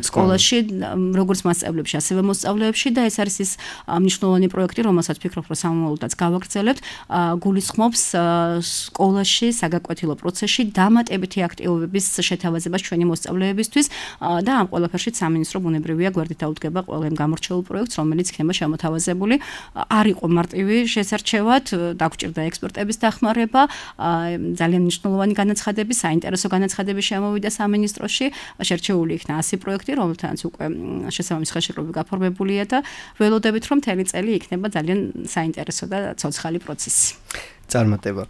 სკოლაში, როგორც მასწავლებლებში, ასევე მოსწავლეებში და ეს არის ის მნიშვნელოვანი პროექტი, რომელსაც ვფიქრობ, რომ სამომავლოდაც გავაგრძელებთ, გულისხმობს სკოლაში საგაკვეთილო პროცესში დამატებითი აქტივობების შეთავაზებას ჩვენი მოსწავლეებისთვის და ამ ყველაფერში სამინისტრო ბუნებრივია გვერდით დაუდგება ყველა იმ გამორჩეულ პროექტს, რომელიც იქნება შემოთავაზებული. არ იყო მარტივი შესარჩევად, დაგჭირდა ექსპერტების დახმარება, ძალიან მნიშვნელოვანი განაცხადები, საინტერესო განაცხადები შემოვიდა სამინისტროში, შერჩეული იქნა ასი პროექტი, რომელთანაც უკვე შესაბამისი ხელშეკრულება გაფორმებულია და ველოდებით, რომ მთელი წელი იქნება ძალიან საინტერესო და ცოცხალი პროცესი. წარმატება.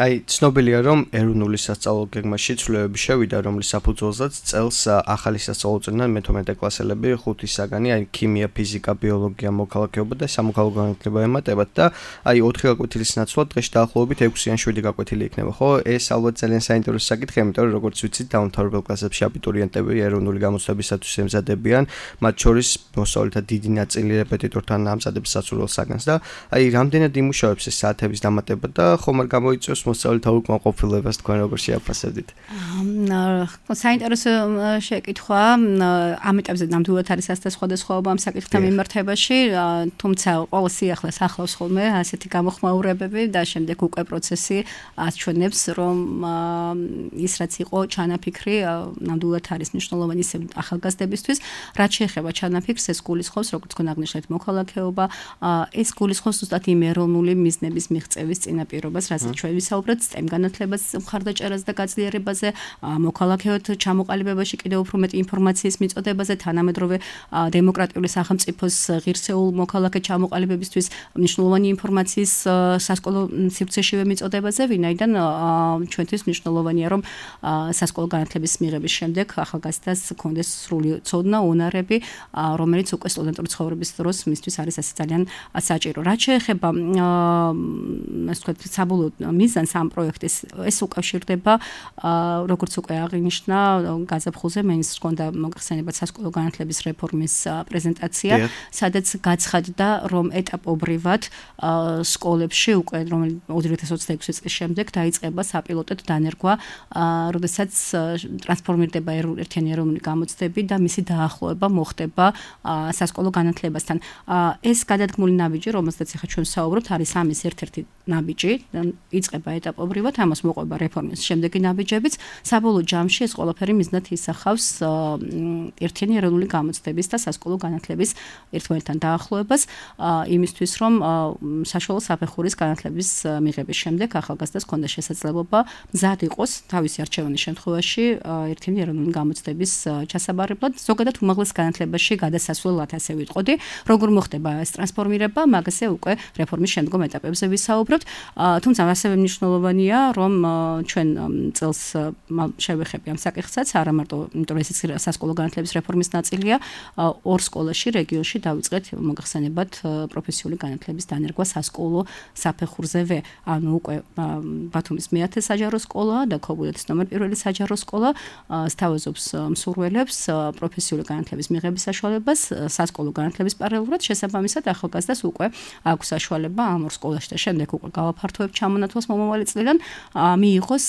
აი, ცნობილია, რომ ეროვნული სასწავლო გეგმაში ცვლილებები შევიდა, რომლის საფუძველზეც წელს ახალი სასწავლო წვრთნიან მეთორმეტე კლასელები ხუთი საგანი, აი, ქიმია, ფიზიკა, ბიოლოგია, მოქალაქეობა და სამოქალაქო განათლება ემატებათ და აი, ოთხი გაკვეთილის ნაცვლად დღეს დაახლოებით ექვსი ან შვიდი გაკვეთილი იქნება, ხო? ეს ალბათ ძალიან საინტერესო საკითხია, იმიტომ რომ როგორც ვიცით, დაუმთავრებელ კლასებში აბიტურიენტები ეროვნული გამოცდებისათვის ემზადებიან, მათ შორის მოსწავლეთა დიდი ნაწილი რეპეტიტორთან ამზადებს სასურველ საგანს და აი, რამდენად იმუშავებს ეს საათების დამატება და ხომ არ გამოიწვევს მოსწავლეთა უკმაყოფილებას თქვენ როგორ შეაფასებდით? საინტერესო შეკითხვა. ამ ეტაპზე ნამდვილად არის ასეთ სხვადასხვაობა ამ საკითხთან მიმართებაში, თუმცა ყოველ სიახლეს ახლავს ხოლმე ასეთი გამოხმაურებები და შემდეგ უკვე პროცესი აჩვენებს, რომ ის რაც იყო ჩანაფიქრი, ნამდვილად არის მნიშვნელოვანი ახალგაზრდებისთვის. რაც შეეხება ჩანაფიქრს, ეს გულისხმობს, როგორც თქვენ აღნიშნეთ, მოქალაქეობა, ეს გულისხმობს ზუსტად იმ ეროვნული მიზნების მიღწევის წინაპირობას, რასაც ჩვენ ვისაუბრეთ, STEM განათლებას, მხარდაჭერას და გაძლიერებაზე, მოქალაქეოთ ჩამოყალიბებაში კიდევ უფრო მეტი ინფორმაციის მიწოდებაზე, თანამედროვე დემოკრატიული სახელმწიფოს ღირსეულ მოქალაქე ჩამოყალიბებისთვის მნიშვნელოვანი ინფორმაციის სასკოლო სივრცეშივე მიწოდებაზე, ვინაიდან ჩვენთვის მნიშვნელოვანია, რომ სასკოლო განათლების მიღების შემდეგ ახალგაზრდას ჰქონდეს სრული ცოდნა, უნარები, რომელიც უკვე სტუდენტური ცხოვრების დროს მისთვის არის ასე ძალიან საჭირო. რაც შეეხება ასე ვთქვათ, საბოლოო მიზანს ამ პროექტის, ეს უკავშირდება, როგორც უკვე აღინიშნა, გაზაფხულზე მინისტრს ჰქონდა მოგხსენებათ სასკოლო განათლების რეფორმის პრეზენტაცია, სადაც გაცხადდა, რომ ეტაპობრივად სკოლებში უკვე რომელიც ორი ათას ოცდაექვსი წლის შემდეგ დაიწყება საპილოტოდ დანერგვა, როდესაც ტრანსფორმირდება ერთიანი ეროვნული გამოცდები და მისი დაახლოება მოხდება სასკოლო განათლებასთან. ეს გადადგმული ნაბიჯი, რომელზეც ახლა ჩვენ ვსაუბრობთ, არის ამის ერთ-ერთი ნაბიჯი, იწყება ეტაპობრივად, ამას მოყვება რეფორმის შემდეგი ნაბიჯებიც. საბოლოო ჯამში ეს ყველაფერი მიზნად ისახავს ერთიანი ეროვნული გამოცდების და სასკოლო განათლების ერთმანეთთან დაახლოებას, იმისთვის, რომ საშუალო საფეხურის განათლების მიღების შემდეგ ახალგაზრდას ჰქონდა შესაძლებლობა მზად იყოს თავისი არჩევანის შემთხვევაში ერთიანი ეროვნული გამოცდების ჩასაბარებლად, ზოგადად უმაღლეს განათლებაში გადასასვლელად ასე ვიტყოდი, როგორ მოხდება ეს ტრანსფორმირება, მაგაზე უკვე რეფორმის შემდგომ ეტაპებზე ვისაუბრებთ. თუმცა ასევე მნიშვნელოვანია, რომ ჩვენ წელს შევეხები ამ საკითხსაც, არა მარტო იმიტომ რომ ეს სასკოლო განათლების რეფორმის ნაწილია, ორ სკოლაში რეგიონში დავიწყეთ მოგახსენებათ პროფესიული განათლების დანერგვა სასკოლო საფეხურზევე, ანუ უკვე ბათუმის მეათე საჯარო სკოლა და ქობულეთის ნომერ პირველი საჯარო სკოლა სთავაზობს მსურველებს პროფესიული განათლების მიღების საშუალებას სასკოლო განათლების პარალელურად, შესაბამისად ახალგაზრდას უკვე აქვს საშუალება ამ ორ სკოლაში და შემდეგ უკვე გავაფართოებ ჩამონათვალს მომავალი წლიდან მიიღოს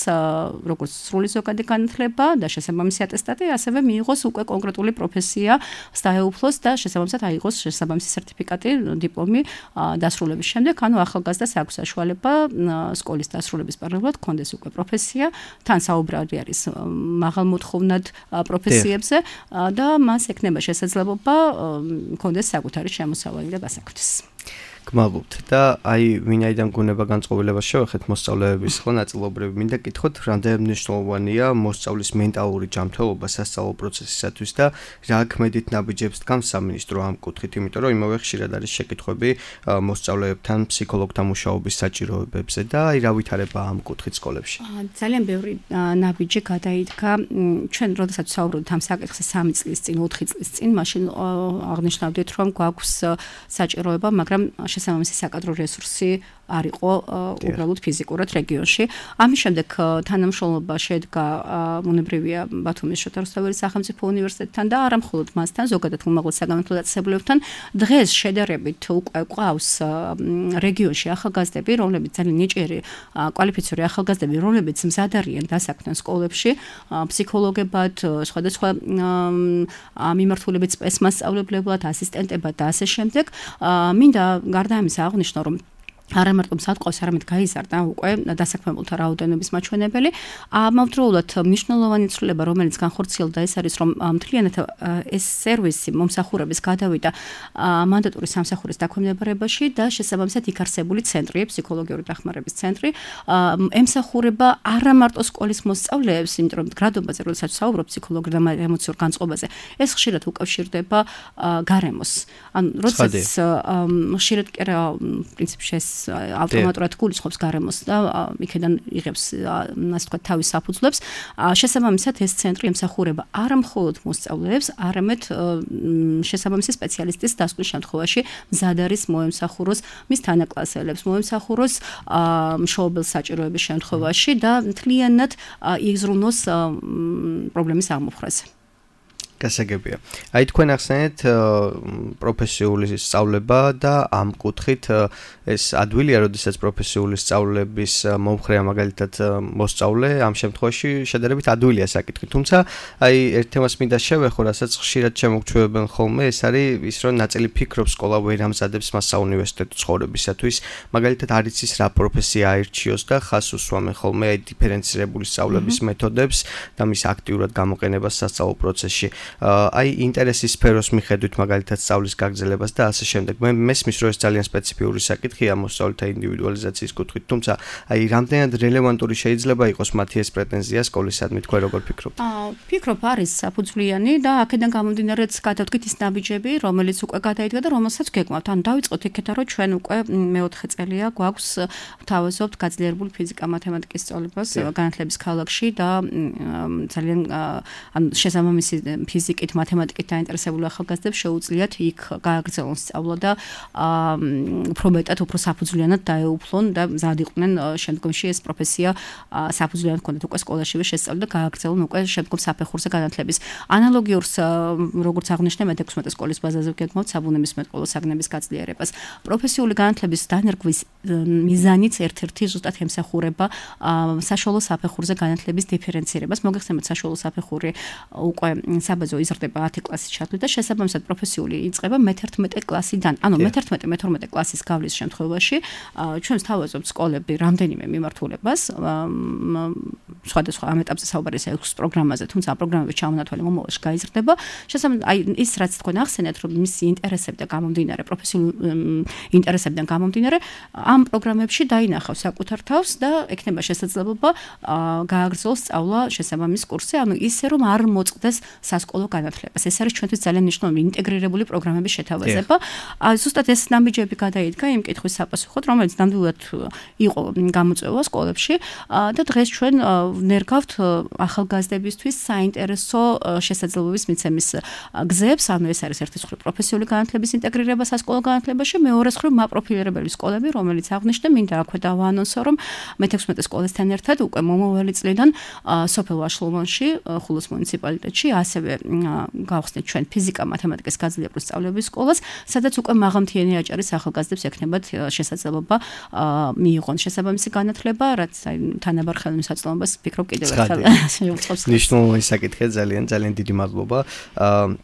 როგორც სრული ზოგადი განათლება და შესაბამისი ატესტატი, ასევე მიიღოს უკვე კონკრეტული პროფესია სტაეუფლოს და შესაბამისად აიღოს შესაბამისი სერტიფიკატი, დიპლომი დასრულების შემდეგ, ანუ ახალგაზრდას აქვს საშუალება სკოლის დასრულების პარალელურად ჰქონდეს უკვე პროფესია, თან საუბარი არის მაღალმოთხოვნად პროფესიებზე და მას ექნება შესაძლებლობა ჰქონდეს საკუთარი შემოსავალი და გასაკვეთის. გმადლობთ და აი ვინაიდან გუნება განწყობილებას შევეხეთ მოსწავლეების ხო ნაწილობრივ მინდა კითხოთ რამდენად მნიშვნელოვანია მოსწავლის მენტალური ჯანმრთელობა სასწავლო პროცესისათვის და რა ქმედით ნაბიჯებს დგამს სამინისტრო ამ კუთხით, იმიტომ რომ იმავე ხშირად არის შეკითხვები მოსწავლეებთან ფსიქოლოგთან მუშაობის საჭიროებებზე და აი რა ვითარება ამ კუთხით სკოლებში. ძალიან ბევრი ნაბიჯი გადაიდგა ჩვენ როდესაც ვსაუბრობთ ამ საკითხზე სამი წლის წინ, ოთხი წლის წინ, მაშინ აღნიშნავდით რომ გვაქვს საჭიროება, მაგრამ შესაბამისი საკადრო რესურსი არ იყო უბრალოდ ფიზიკურად რეგიონში. ამის შემდეგ თანამშრომლობა შედგა მონებრივია ბათუმის შოთა რუსთაველის სახელმწიფო უნივერსიტეტთან და არა მხოლოდ მასთან, ზოგადად უმაღლეს საგანმანათლებლო დაწესებულებებთან. დღეს შედარებით უკვე ყავს რეგიონში ახალგაზრდები, რომლებიც ძალიან ნიჭიერი კვალიფიციური ახალგაზრდები, რომლებიც მზად არიან დასაქმდნენ სკოლებში, ფსიქოლოგებად, სხვადასხვა მიმართულებით სპეცმასწავლებლებლად, ასისტენტებად და ასე შემდეგ. მინდა გარდა ამისა აღნიშნო, რომ არა მარტო მსატყავს, არამედ გაიზარდა უკვე დასაქმებულთა რაოდენობის მაჩვენებელი. ამავდროულად მნიშვნელოვანი ცვლილება, რომელიც განხორციელდა, ეს არის, რომ მთლიანად ეს სერვისი მომსახურების გადავიდა მანდატური სამსახურის დაქვემდებარებაში და შესაბამისად იქ არსებული ცენტრი, ფსიქოლოგიური დახმარების ცენტრი, ემსახურება არა მარტო სკოლის მოსწავლეებს, იმიტომ რომ გრადობაზე, როდესაც საუბრობ ფსიქოლოგიურ და ემოციურ განწყობაზე, ეს ხშირად უკავშირდება გარემოს. ანუ როდესაც ხშირად კი რა პრინციპში ეს ავტომატურად გულისხმობს გარემოს და იქიდან იღებს ასე ვთქვათ თავის საფუძვლებს. შესაბამისად ეს ცენტრი ემსახურება არა მხოლოდ მოსწავლეებს, არამედ შესაბამისი სპეციალისტის დასკვნის შემთხვევაში მზად არის მოემსახუროს მის თანაკლასელებს, მოემსახუროს მშობელ საჭიროების შემთხვევაში და მთლიანად იზრუნოს პრობლემის აღმოფხვრაზე. გასაგებია. აი თქვენ ახსენეთ პროფესიული სწავლება და ამ კუთხით ეს ადვილია, როდესაც პროფესიული სწავლების მომხრეა მაგალითად მოსწავლე, ამ შემთხვევაში შედარებით ადვილია საკითხი. თუმცა აი ერთ თემას მინდა შევეხო, რასაც ხშირად შემოგჩვევებენ ხოლმე, ეს არის ის, რომ ნაწილი ფიქრობს სკოლა ვერ ამზადებს მას საუნივერსიტეტო ცხოვრებისათვის. მაგალითად არ იცის რა პროფესია აირჩიოს და ხას უსვამენ ხოლმე აი დიფერენცირებული სწავლების მეთოდებს და მის აქტიურად გამოყენებას სასწავლო პროცესში. აი ინტერესის სფეროს მიხედვით მაგალითად სწავლის გაგრძელებას და ასე შემდეგ. მე მესმის რომ ეს ძალიან სპეციფიური საკითხია მოსწავლეთა ინდივიდუალიზაციის კუთხით, თუმცა აი რამდენად რელევანტური შეიძლება იყოს მათი ეს პრეტენზია სკოლისადმი, თქვენ როგორ ფიქრობთ? აა ფიქრობ არის საფუძვლიანი და აქედან გამომდინარეც გადავდგით ის ნაბიჯები, რომელიც უკვე გადაიდგა და რომელსაც გეკმავთ. ანუ დავიწყოთ იქეთა რომ ჩვენ უკვე მეოთხე წელია გვაქვს ვთავაზობთ გაძლიერებული ფიზიკა-მათემატიკის სწავლებას განათლების ქალაქში და ძალიან ანუ შესაბამისი ფიზიკით, მათემატიკით დაინტერესებული ახალგაზრდებს შეუძლიათ იქ გააგრძელონ სწავლა და უფრო მეტად, უფრო საფუძვლიანად დაეუფლონ და მზად იყვნენ შემდგომში ეს პროფესია საფუძვლიანად ქონდეთ უკვე სკოლაშივე შესწავლი და გააგრძელონ უკვე შემდგომ საფეხურზე განათლების. ანალოგიურს როგორც აღნიშნე მეთექვსმეტე სკოლის ბაზაზე გეკმავთ საბუნებისმეტყველო საგნების გაძლიერებას. პროფესიული განათლების დანერგვის მიზანიც ერთ-ერთი ზუსტად ემსახურება საშუალო საფეხურზე განათლების დიფერენცირებას. მოგეხსენებათ საშუალო საფეხური უკვე საბაზო იზრდება ათი კლასის ჩათვლით და შესაბამისად პროფესიული იწყება მეთერთმეტე კლასიდან. ანუ მეთერთმეტე მეთორმეტე კლასის გავლის შემთხვევაში ჩვენ ვთავაზობთ სკოლები რამდენიმე მიმართულებას, სხვადასხვა ამ ეტაპზე საუბარი ეს ექვს პროგრამაზე, თუმცა ამ პროგრამების ჩამონათვალი მომავალში გაიზრდება. შესაბამისად აი ის რაც თქვენ ახსენეთ, რომ მისი ინტერესებიდან გამომდინარე, პროფესიული ინტერესებიდან გამომდინარე, ამ პროგრამებში დაინახავს საკუთარ თავს და ექნება შესაძლებლობა გააგრძელოს სწავლა შესაბამის კურსზე, ანუ ისე რომ არ მოწყდეს სასკოლო განათლებას. ეს არის ჩვენთვის ძალიან მნიშვნელოვანი ინტეგრირებული პროგრამების შეთავაზება. ზუსტად ეს ნაბიჯები გადაიდგა იმ კითხვის საპასუხოდ, რომელიც ნამდვილად იყო გამოწვევა სკოლებში და დღეს ჩვენ ვნერგავთ ახალგაზრდებისთვის საინტერესო შესაძლებლობის მიცემის გზებს, ანუ ეს არის ერთი მხრივ პროფესიული განათლების ინტეგრირება სასკოლო განათლებაში, მეორე მხრივ მაპროფილირებელი სკოლები, რომელიც აღნიშნე, მინდა აქვე დავაანონსო, რომ მეთექვსმეტე სკოლასთან ერთად უკვე მომავალი წლიდან სოფელ ვაშლოვანში, ხულოს მუნიციპალიტეტში ასევე გავხსნით ჩვენ ფიზიკა-მათემატიკის გაძლიერებული სწავლების სკოლას, სადაც უკვე მაღალმთიანი აჭარის ახალგაზრდებს ექნებათ შესაძლებლობა მიიღონ შესაბამისი განათლება, რაც აი თანაბარ ხელმისაწვდომობას ვფიქრობ კიდევ ერთხელ შეუწყობს. ნიშნულოვანი საკითხია, ძალიან ძალიან დიდი მადლობა.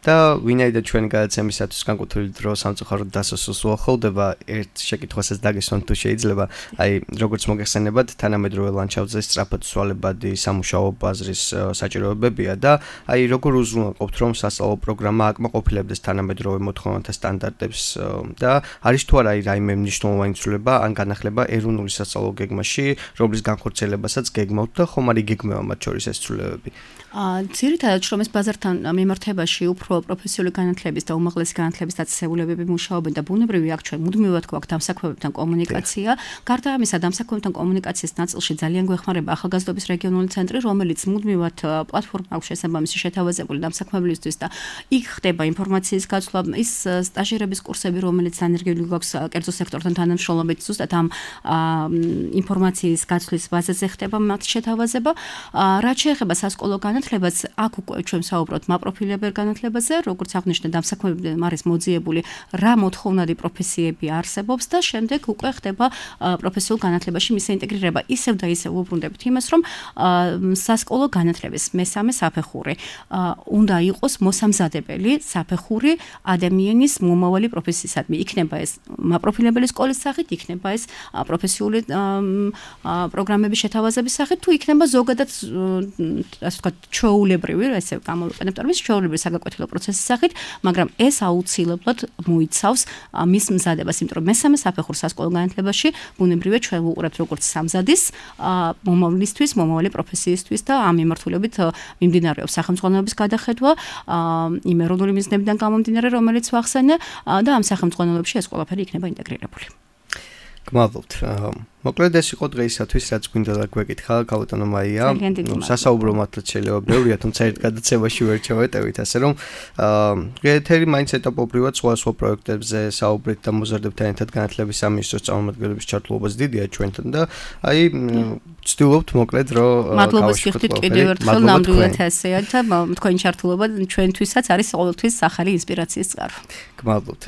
და ვინაიდან ჩვენი გადაცემისათვის განკუთვნილი დრო სამწუხაროდ დასასრულს უახლოვდება, ერთ შეკითხვასაც დაგესვან თუ შეიძლება, აი როგორც მოგეხსენებათ, თანამედროვე ლანდშაფტზე სწრაფად ცვალებადი სამუშაო ბაზრის საჭიროებებია და აი როგორ უზრუნველყოფთ, რომ სასწავლო პროგრამა აკმაყოფილებდეს თანამედროვე მოთხოვნათა სტანდარტებს და არის თუ არა რაიმე მნიშვნელოვანი ცვლილება ან განახლება ეროვნული სასწავლო გეგმაში, რომლის განხორციელებასაც გეგმავთ და ხომ არ იგეგმება მათ შორის ეს ცვლილებები? ძირითადად შრომის ბაზართან მიმართებაში უფრო პროფესიული განათლების და უმაღლესი განათლების დაწესებულებები მუშაობენ და ბუნებრივი აქ ჩვენ მუდმივად გვაქვს დამსაქმებებთან კომუნიკაცია. გარდა ამისა, დამსაქმებებთან კომუნიკაციის ნაწილში ძალიან გვეხმარება ახალგაზრდობის რეგიონული ცენტრი, რომელიც მუდმივად პლატფორმა აქვს შესაბამისი შეთავაზებული დამსაქმებლისთვის და იქ ხდება ინფორმაციის გაცვლა, ის სტაჟირების კურსები, რომელიც დანერგილი გვაქვს კერძო სექტორთან თანამშრომლობით, ზუსტად ამ ინფორმაციის გაცვლის ბაზაზე ხდება მათ შეთავაზება. რაც შეეხება სასკოლო განათლებას, აქ უკვე ჩვენ საუბრობთ მაპროფილებელ განათლებაზე, როგორც აღნიშნე, დამსაქმებებთან არის მოძიებული რა მოთხოვნადი პროფესიები არსებობს და შემდეგ უკვე ხდება პროფესიულ განათლებაში მისი ინტეგრირება. ისევ და ისევ უბრუნდებით იმას, რომ სასკოლო განათლების მესამე საფეხური უნდა უნდა იყოს მოსამზადებელი საფეხური ადამიანის მომავალი პროფესიისადმი. იქნება ეს მაპროფილებელი სკოლის სახით, იქნება ეს პროფესიული პროგრამების შეთავაზების სახით, თუ იქნება ზოგადად ასე ვთქვათ, ჩვეულებრივი, ესე გამოვიყენებ ტერმინს, ჩვეულებრივი საგაკვეთილო პროცესის სახით, მაგრამ ეს აუცილებლად მოიცავს მის მზადებას, იმიტომ რომ მესამე საფეხურ სასკოლო განათლებაში ბუნებრივია ჩვენ ვუყურებთ როგორც სამზადის მომავლისთვის, მომავალი პროფესიისთვის და ამ მიმართულებით მიმდინარეობს სახელმძღვანელობის გადახედვა იმ ეროვნული მიზნებიდან გამომდინარე, რომელიც ვახსენე და ამ სახელმძღვანელოებში ეს ყველაფერი იქნება ინტეგრირებული. გმადლობთ. მოკლედ ეს იყო დღეისათვის, რაც გვინდა და გვეკითხა ქალბატონო მაია. სასაუბრო მართლაც შეიძლება ბევრია, თუმცა ერთ გადაცემაში ვერ ჩავეტევით, ასე რომ ეთერი მაინც ეტაპობრივად სხვა-სხვა პროექტებზე საუბრით და მოზარდებთან ერთად განათლების სამინისტროს წარმომადგენლების ჩართულობაც დიდია ჩვენთან და აი ვცდილობთ მოკლედ რომ მადლობას გიხდით კიდევ ერთხელ ნამდვილად ასეა და თქვენი ჩართულობა ჩვენთვისაც არის ყოველთვის ახალი ინსპირაციის წყარო. გმადლობთ.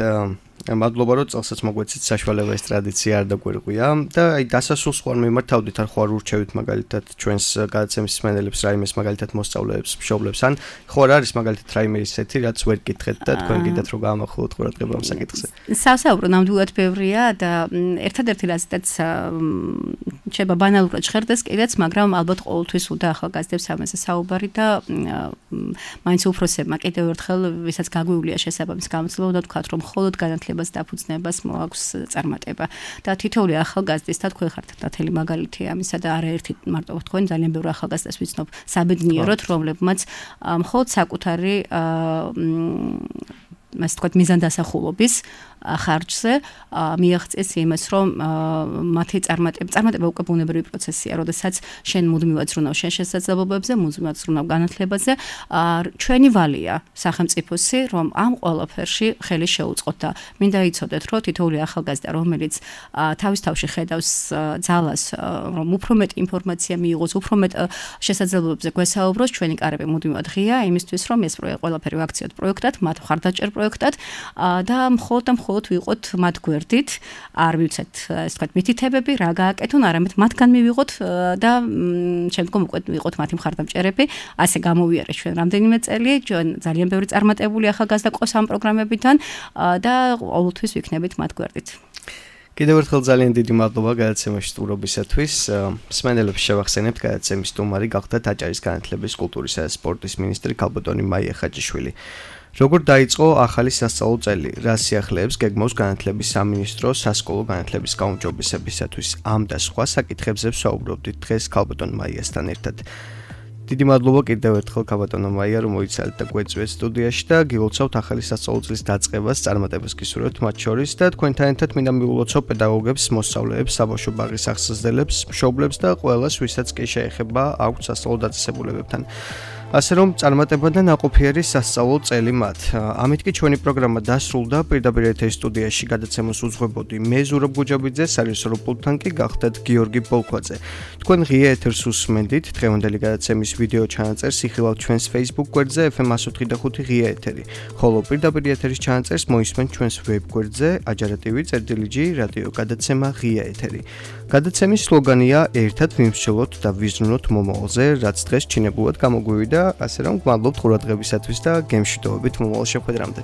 მადლობა რომ წელსაც მოგვეცით საშუალება ეს ტრადიცია არ დაგვერგვია და აი დასასრულს ხوار მიმართავდით არ ხوار ურჩევით მაგალითად ჩვენს გადაცემის მსმენელებს რაიმეს მაგალითად მოსწავლეებს მშობლებს ან ხوار არის მაგალითად რაიმე ისეთი რაც ვერ გითხეთ და თქვენ კიდეთ რომ გაამახვილოთ ყურადღება ამ საკითხზე. სასაუბრო ნამდვილად ბევრია და ერთადერთი რაზეც შეიძლება ბანალურად ჟღერდეს კიდეც, მაგრამ ალბათ ყოველთვის უნდა ახალგაზრდებს ამაზე საუბარი და მაინც უფროსებმა კიდევ ერთხელ ვისაც გაგვივლია შესაბამის გამოცდილება უნდა ვთქვათ რომ მხოლოდ განათლებას დაფუძნებას მოაქვს წარმატება და თითოეული ახალგაზრდის და თქვენ ხართ ნათელი მაგალითი ამისა და არაერთი მარტო თქვენ ძალიან ბევრი ახალგაზრდას ვიცნობ საბედნიეროდ რომლებმაც მხოლოდ საკუთარი ასე ვთქვათ მიზანდასახულობის ხარჯზე მიაღწიეს იმას, რომ მათი წარმატება, წარმატება უკვე ბუნებრივი პროცესია, როდესაც შენ მუდმივად ზრუნავ შენ შესაძლებლობებზე, მუდმივად ზრუნავ განათლებაზე, ჩვენი ვალია სახელმწიფოსი, რომ ამ ყველაფერში ხელი შეუწყოთ და მინდა იცოდეთ, რომ თითოეული ახალგაზრდა, რომელიც თავის თავში ხედავს ძალას, რომ უფრო მეტ ინფორმაცია მიიღოს, უფრო მეტ შესაძლებლობებზე გვესაუბროს, ჩვენი კარები მუდმივად ღია იმისთვის, რომ ეს ყველაფერი ვაქციოთ პროექტად, მათ მხარდაჭერ პროექტად და მხოლოდ და მხოლოდ ვიყოთ მათ გვერდით, არ ვიცით, ასე ვთქვათ, მითითებები, რა გააკეთონ, არამედ მათგან მივიღოთ და შემდგომ უკვე ვიყოთ მათი მხარდამჭერები. ასე გამოვიარეთ ჩვენ რამდენიმე წელი, ჩვენ ძალიან ბევრი წარმატებული ახალგაზრდა ყავს ამ პროგრამებიდან და ყოველთვის ვიქნებით მათ გვერდით. კიდევ ერთხელ ძალიან დიდი მადლობა გადაცემაში სტუმრობისათვის. მსმენელებს შევახსენებთ, გადაცემის სტუმარი გახდათ აჭარის განათლების, კულტურისა და სპორტის მინისტრი ქალბატონი მაია ხაჯიშვილი. როგორ დაიწყო ახალი სასწავლო წელი? რა სიახლეებს გეგმავს განათლების სამინისტრო სასკოლო განათლების გაუმჯობესებისათვის? ამ და სხვა საკითხებზე ვსაუბრობდით დღეს ქალბატონ მაიასთან ერთად. დიდი მადლობა კიდევ ერთხელ ქალბატონო მაია, რომ მოიცალეთ და გვეწვიეთ სტუდიაში და გილოცავთ ახალი სასწავლო წლის დაწყებას, წარმატებას გისურვებთ მათ შორის და თქვენთან ერთად მინდა მიულოცო პედაგოგებს, მოსწავლეებს, საბავშვო ბაღის აღსაზრდელებს, მშობლებს და ყველას, ვისაც კი შეეხება აქვთ სასწავლო დაწესებულებებთან. ასე რომ წარმატება და ნაყოფიერი სასწავლო წელი მათ. ამით კი ჩვენი პროგრამა დასრულდა. პირდაპირ ეთერის სტუდიაში გადაცემას უძღვებოდი მე ზურაბ გუჯაბიძე, სარიუსო პულტთან კი გახდათ გიორგი ბოლქვაძე. თქვენ ღია ეთერს უსმენდით. დღევანდელი გადაცემის ვიდეო ჩანაწერს იხილავთ ჩვენს Facebook გვერდზე ეფ ემ εκατო ოთხი და ხუთი ღია ეთერი. ხოლო პირდაპირ ეთერის ჩანაწერს მოისმენთ ჩვენს ვებ გვერდზე აჯარა.tv წერტილი.g რადიო გადაცემა ღია ეთერი. გადაცემის სლოგანია ერთად ვიმსჯელოთ და ვიზრუნოთ მომავალზე, რაც დღეს ჩინებულად გამოგვივიდა. ასე რომ გმადლობთ ყურადღებისათვის და გემშვიდობებით მომავალ შეხვედრამდე.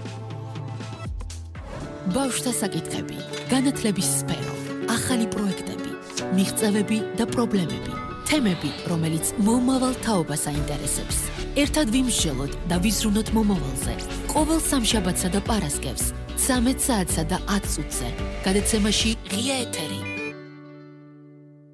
ბავშვთა საკითხები, განათლების სფერო, ახალი პროექტები, მიღწევები და პრობლემები, თემები, რომელიც მომავალ თაობას აინტერესებს. ერთად ვიმსჯელოთ და ვიზრუნოთ მომავალზე. ყოველ სამშაბათსა და პარასკევს, ცამეტ საათსა და ათ წუთზე. გადაცემაში ღია ეთერი.